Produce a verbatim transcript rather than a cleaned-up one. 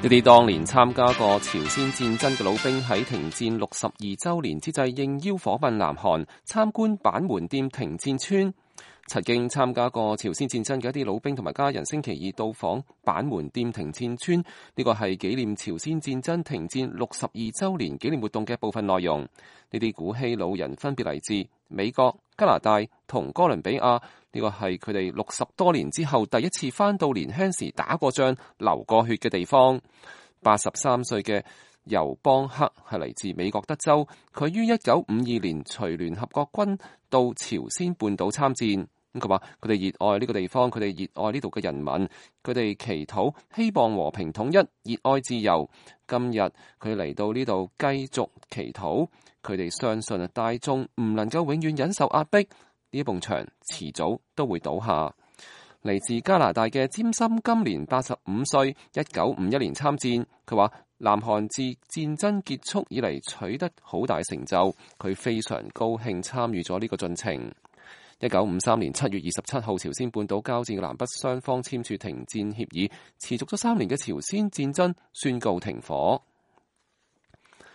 呢啲當年參加過朝鮮戰爭嘅老兵喺停戰六十二週年之際應邀訪問南韓，參觀板門店停戰村。曾經參加過朝鮮戰爭嘅一啲老兵同埋家人星期二到訪板門店停戰村，呢個係紀念朝鮮戰爭停戰六十二週年紀念活動嘅部分內容。呢啲古希老人分別嚟自美國、加拿大同哥倫比亞，呢個係佢哋六十多年之後第一次返到年輕時打過仗、流過血嘅地方。八十三歲嘅尤邦克係嚟自美國德州，佢於一九五二年隨聯合國軍到朝鮮半島參戰。咁佢話佢哋熱愛呢個地方，佢哋熱愛呢度嘅人民，佢哋祈禱希望和平統一，熱愛自由。今日佢嚟到呢度繼續祈禱，佢哋相信啊大眾唔能夠永遠忍受壓迫，呢一埲牆遲早都會倒下。嚟自加拿大嘅詹森今年八十五歲，一九五一年參戰。佢話南韓自戰爭結束以嚟取得好大成就，佢非常高興參與咗呢個進程。一九五三年七月二十七號，朝鮮半島交戰嘅南北雙方簽署停戰協議，持續咗三年嘅朝鮮戰爭宣告停火。